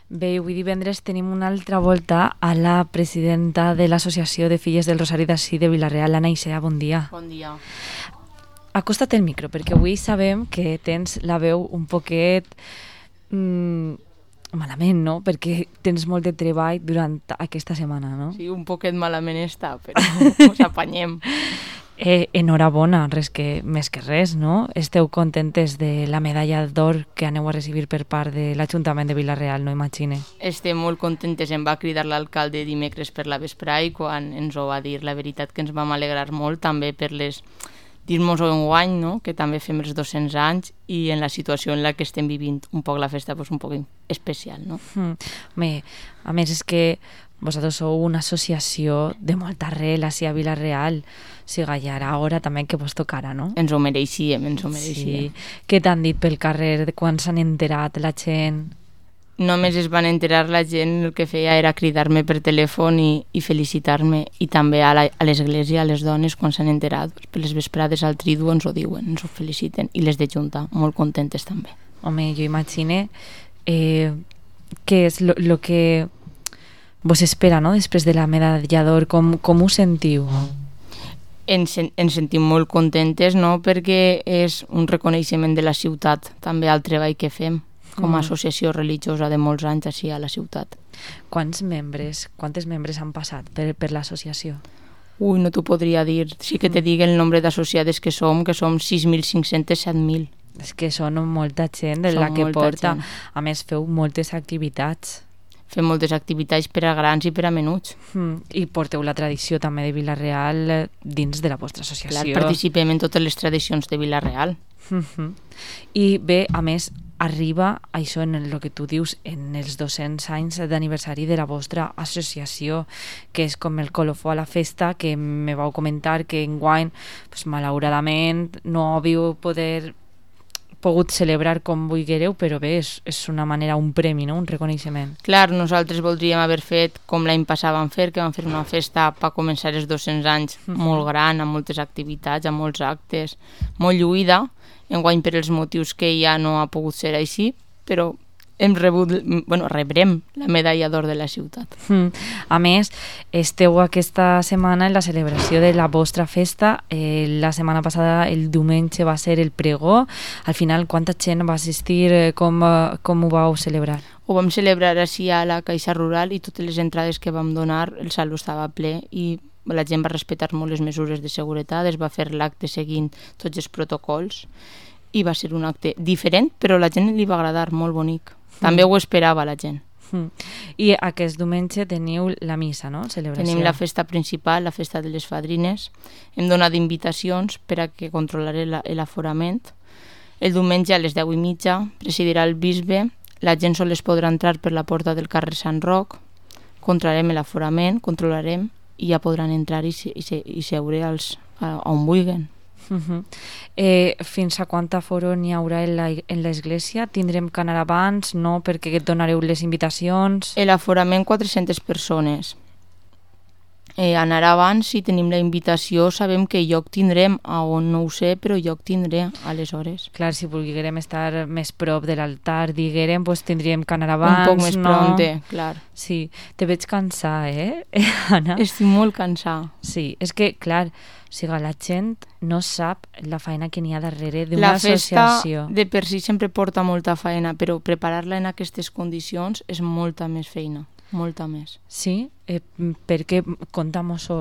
Bé, avui divendres tenim una altra volta a la presidenta de l'Associació de Filles del Rosari d'ací de Vila-real, Anna Icea, bon dia. Bon dia. Acosta't el micro, perquè avui sabem que tens la veu un poquet malament, no? Perquè tens molt de treball durant aquesta setmana, no? Sí, un poquet malament està, però us apanyem. Enhorabona, més que res, no? Esteu contentes de la medalla d'or que aneu a recibir per part de l'Ajuntament de Vila-real, no imagine? Estem molt contentes, em va cridar l'alcalde dimecres per la vesprà i quan ens ho va dir, la veritat que ens vam alegrar molt, també per les dir-nos enguany, no? Que també fem els 200 anys i en la situació en la que estem vivint un poc la festa, pues, un poc especial, no? A més, és que vosaltres sou una associació de molta arrel ací a Vila-real, o sigui, ja era hora també que vos tocara, no? Ens ho mereixíem, ens ho mereixíem. Sí. Què t'han dit pel carrer, de quan s'han enterat la gent? Només es van enterar la gent, el que feia era cridar-me per telèfon i felicitar-me, i també a l'església, a les dones, quan s'han enterat, per les vesprades al tridu ens ho diuen, ens ho feliciten, i les de Junta, molt contentes també. Home, jo imagine què és el que vos espera, no?, després de la medalla d'or, com ho sentiu? Ens sentim molt contentes, no?, perquè és un reconeixement de la ciutat, també al treball que fem, com a associació religiosa de molts anys així a la ciutat. Quantes membres han passat per l'associació? Ui, no t'ho podria dir. Sí que te dic el nombre d'associades que som 6.500, 7.000. És que són molta gent de la que porta. A més, feu moltes activitats. Fem moltes activitats per a grans i per a menuts. I porteu la tradició també de Vila-real dins de la vostra associació. Clar, participem en totes les tradicions de Vila-real. I bé, a més, arriba això en el que tu dius en els 200 anys d'aniversari de la vostra associació, que és com el colofó a la festa, que me vau comentar que enguany, pues, malauradament, no havíeu pogut celebrar com vulguereu, però bé, és una manera, un premi, no?, un reconeixement. Clar, nosaltres voldríem haver fet com l'any passat vam fer, que vam fer una festa per començar els 200 anys molt gran, amb moltes activitats, amb molts actes, molt lluïda. Enguany, per els motius que ja no ha pogut ser així, però rebrem la medalla d'or de la ciutat. A més, esteu aquesta setmana en la celebració de la vostra festa. La setmana passada, el diumenge, va ser el pregó. Al final, quanta gent va assistir? Com ho vau celebrar? Ho vam celebrar així a la Caixa Rural i totes les entrades que vam donar, el saló estava ple i la gent va respectar molt les mesures de seguretat, es va fer l'acte seguint tots els protocols i va ser un acte diferent, però a la gent li va agradar, molt bonic. També ho esperava la gent. I aquest diumenge teniu la missa, no?, celebració. Tenim la festa principal, la festa de les fadrines. Hem donat invitacions per a que controlaré l'aforament. El diumenge a les 10:30 presidirà el bisbe. La gent sols podrà entrar per la porta del carrer Sant Roc. Controlarem l'aforament, controlarem i ja podran entrar i seure on vulguin. Fins a quant aforo n'hi haurà en l'església? Tindrem que anar abans, no?, perquè donareu les invitacions? L'aforament 400 persones. Anar abans, si tenim la invitació, sabem que lloc tindrem, a on no ho sé, però lloc tindré, aleshores. Clar, si volguérem estar més prop de l'altar, diguérem, doncs tindríem que anar abans, un poc més pronte, clar. Sí, te veig cansar, Anna? Estic molt cansada. Sí, és que, clar, o sigui, la gent no sap la feina que n'hi ha darrere d'una associació. La festa de per si sempre porta molta feina, però preparar-la en aquestes condicions és molta més feina. Molta més. Sí? Perquè, contam-ho-ho,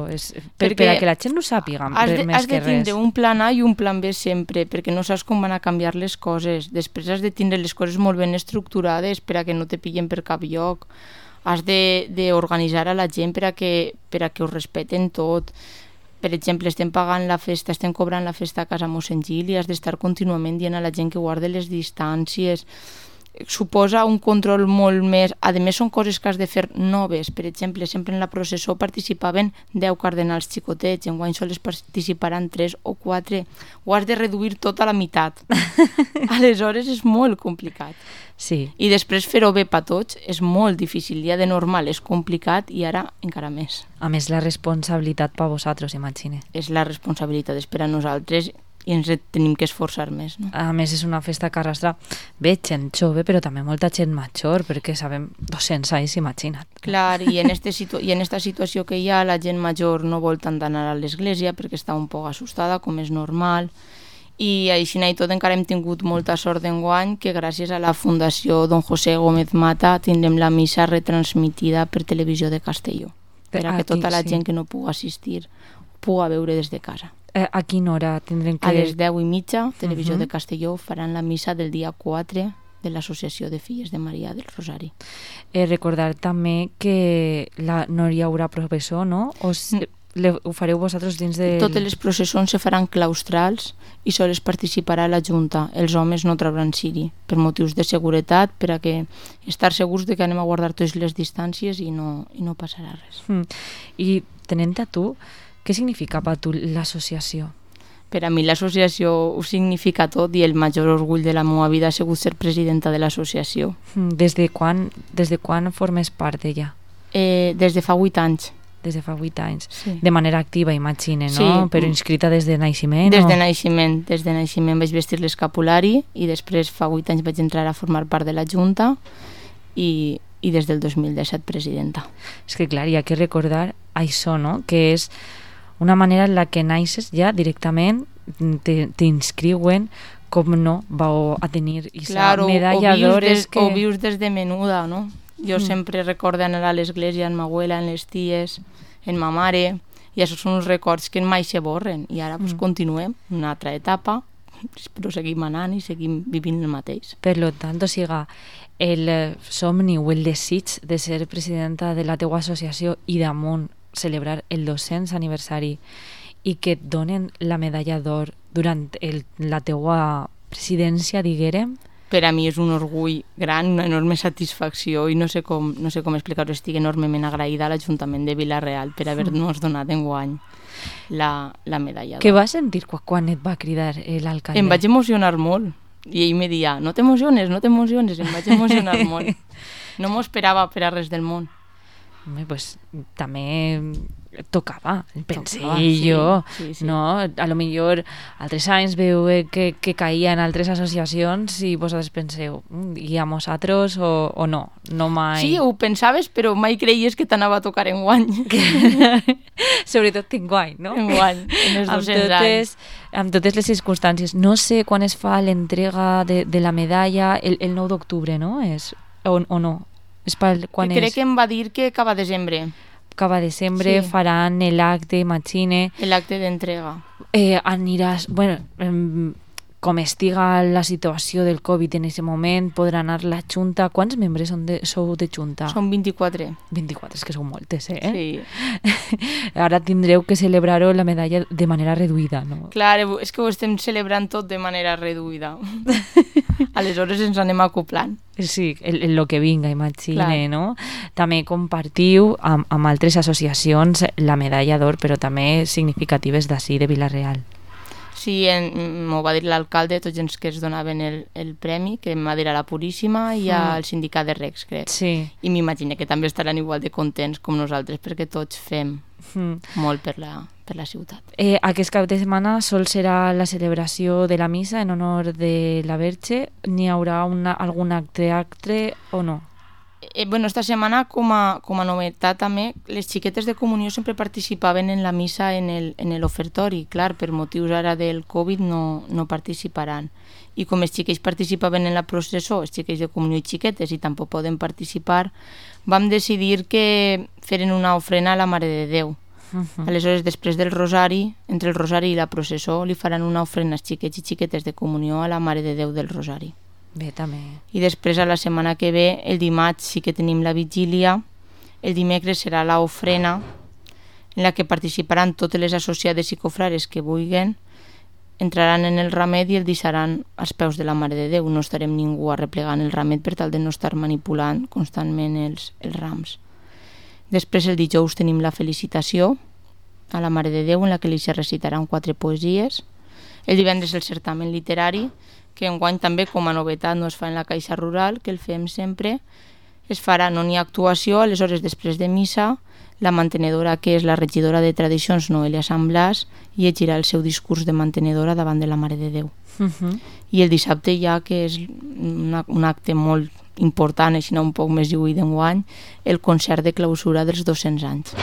per a que la gent no sàpiga més que res. Has de tindre un plan A i un plan B sempre, perquè no saps com van a canviar les coses. Després has de tindre les coses molt ben estructurades per a que no te pillen per cap lloc. Has d'organitzar a la gent per a que ho respeten tot. Per exemple, estem pagant la festa, estem cobrant la festa a casa Mossèn Gil i has d'estar contínuament dient a la gent que guarde les distàncies. Suposa un control molt més. A més, són coses que has de fer noves. Per exemple, sempre en la processó participaven 10 cardenals xicotets, enguany sols participaran 3 o 4. Ho has de reduir tot a la meitat. Aleshores és molt complicat. Sí. I després fer-ho bé per tots és molt difícil. Ja de normal és complicat i ara encara més. A més, la responsabilitat per vosaltres, imagine. És la responsabilitat, és per a nosaltres ens tenim que esforçar més, no? A més, és una festa que arrastra bé gent jove, però també molta gent major, perquè sabem 200 anys, imagina't. Clar, i en esta situació que hi ha, la gent major no vol tant anar a l'església perquè està un poc assustada, com és normal, i així i tot encara hem tingut molta sort d'enguany que gràcies a la Fundació Don José Gómez Mata tindrem la missa retransmitida per Televisió de Castelló, per a que tota la gent que no pugui assistir puga veure des de casa. A quina hora tindrem que... A les 10:30, Televisió de Castelló faran la missa del dia 4 de l'Associació de Filles de Maria del Rosari. Recordar també que no hi haurà professor, no? Ho fareu vosaltres dins de... Totes les processons se faran claustrals i sols participarà la Junta. Els homes no trauran ciri, per motius de seguretat, per a que estar segurs de que anem a guardar totes les distàncies i no passarà res. I tenint a tu, què significa per tu l'associació? Per a mi l'associació ho significa tot i el major orgull de la meva vida ha sigut ser presidenta de l'associació. Des de quan formes part d'ella? Des de fa 8 anys. Des de fa 8 anys. Sí. De manera activa, imagine, no? Sí. Però inscrita des de naixement? Des de naixement vaig vestir l'escapulari i després fa 8 anys vaig entrar a formar part de la Junta i des del 2017 presidenta. És que clar, hi ha que recordar això, no? Que és una manera en la que naixes ja directament, t'inscriuen, com no, vau a tenir aquesta medalla d'or. O vius des de menuda, no? Jo sempre recordo anar a l'església amb ma abuela, amb les ties, amb ma mare, i això són uns records que mai se borren. I ara continuem una altra etapa, però seguim anant i seguim vivint el mateix. Per tant, o sigui, el somni o el desig de ser presidenta de la teua associació i damunt celebrar el 200 aniversari i que et donen la medalla d'or durant la teua presidència, diguérem, per a mi és un orgull gran, una enorme satisfacció i no sé com explicar-ho, estic enormement agraïda a l'Ajuntament de Vila-real per haver-nos donat enguany la medalla d'or. Què vas sentir quan et va cridar l'alcalde? Em vaig emocionar molt i ell me deia, no t'emociones, em vaig emocionar molt. No m'ho esperava per a res del món. Pues també tocava, pensé jo, no? A lo millor altres anys veu que caia en altres associacions i vosaltres penseu, i a nosaltres o no? No mai... Sí, ho pensaves, però mai creies que t'anava a tocar enguany. Sobretot enguany, no? Enguany, en els 200 anys. Amb totes les circumstàncies. No sé quan es fa l'entrega de la medalla, el 9 d'octubre, no? O no? Crec que em va dir que acaba desembre. Acaba desembre, sí. Faran l'acte, imagine. L'acte d'entrega. Aniràs... Bueno, com estiga la situació del Covid en aquest moment, podrà anar la Junta. Quants membres sou de Junta? Som 24. 24, és que sou moltes, Sí. Ara tindreu que celebrar-ho la medalla de manera reduïda, no? Clar, és que ho estem celebrant tot de manera reduïda. Aleshores ens anem acoplant. Sí, el que vinga, imagine, no? També compartiu amb altres associacions la medalla d'or, però també significatives d'ací, de Vila-real. Sí, m'ho va dir l'alcalde, tots els que es donaven el premi, que em va dir a la Puríssima i al sindicat de Recs, crec. Sí. I m'imagino que també estaran igual de contents com nosaltres, perquè tots fem molt per la ciutat. Aquest cap de setmana sol serà la celebració de la missa en honor de la Verge. N'hi haurà algun acte o no? Bueno, esta setmana, com a novetat també, les xiquetes de comunió sempre participaven en la missa en l'ofertori. Clar, per motius ara del Covid no participaran. I com els xiquets participaven en la processó, els xiquets de comunió i xiquetes, i tampoc poden participar, vam decidir que feren una ofrena a la Mare de Déu. Aleshores, després del rosari, entre el rosari i la processó, li faran una ofrena als xiquets i xiquetes de comunió a la Mare de Déu del Rosari. Bé, també. I després, a la setmana que ve, el dimarts sí que tenim la vigília, el dimecres serà l'ofrena, en la que participaran totes les associades i cofrares que vulguin, entraran en el ramet i el deixaran als peus de la Mare de Déu. No estarem ningú arreplegant el ramet per tal de no estar manipulant constantment els rams. Després, el dijous, tenim la felicitació a la Mare de Déu, en la que li se recitaran 4 poesies. El divendres, el certamen literari, que enguany també com a novetat no es fa en la Caixa Rural, que el fem sempre, es farà, no n'hi ha actuació, aleshores després de missa la mantenedora, que és la regidora de tradicions, Noelia Sant Blas, llegirà el seu discurs de mantenedora davant de la Mare de Déu. I el dissabte ja, que és un acte molt important, així un poc més lluït d'enguany, el concert de clausura dels 200 anys.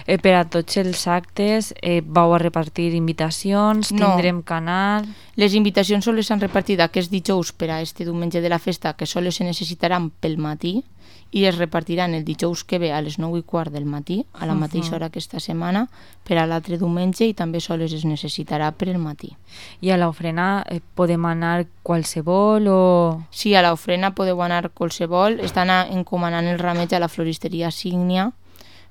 Per a tots els actes vau a repartir invitacions, tindrem canal... Les invitacions sols s'han repartit aquest dijous per a este diumenge de la festa, que sols se necessitaran pel matí, i es repartiran el dijous que ve a les 9:15 del matí, a la mateixa hora que esta setmana, per a l'altre diumenge, i també sols es necessitarà per el matí. I a l'ofrena podem anar qualsevol o...? Sí, a l'ofrena podeu anar qualsevol. Estan encomanant el rameig a la floristeria Sígnia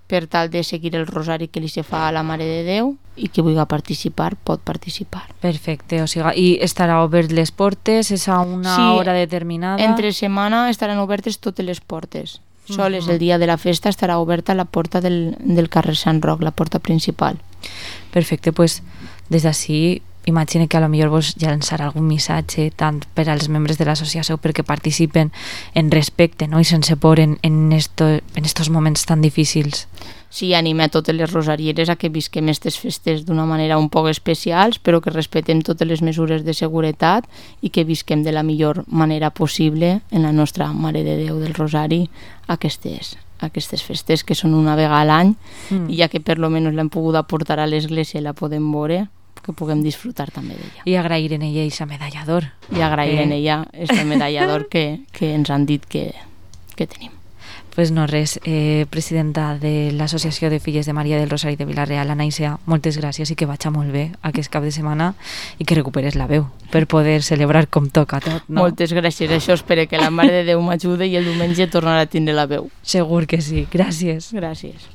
per tal de seguir el rosari que li se fa a la Mare de Déu, i qui vulgui participar pot participar. Perfecte, o sigui, i estarà obert les portes? És a una hora determinada? Entre setmana estaran obertes totes les portes. Sols el dia de la festa estarà oberta la porta del carrer Sant Roc, la porta principal. Perfecte, doncs des d'ací imagine que a lo millor vos llançarà algun missatge tant per als membres de l'associació perquè participen en respecte, no? I sense por en estos moments tan difícils. Sí, anime a totes les rosarieres a que visquem aquestes festes d'una manera un poc especials, però que respetem totes les mesures de seguretat i que visquem de la millor manera possible en la nostra Mare de Déu del Rosari aquestes festes que són una vegada a l'any, i ja que per lo menos l'hem pogut aportar a l'església i la podem veure, que puguem disfrutar també d'ella. I agrair en ella aquest medallador. I agrair en ella aquest medallador que ens han dit que tenim. Pues no res, presidenta de l'Associació de Filles de Maria del Rosari de Vila-real, Anaïsia, moltes gràcies i que vagi molt bé aquest cap de setmana i que recuperes la veu per poder celebrar com toca tot, no? Moltes gràcies, això espero que la Mare de Déu m'ajude i el diumenge tornarà a tindre la veu. Segur que sí, gràcies. Gràcies.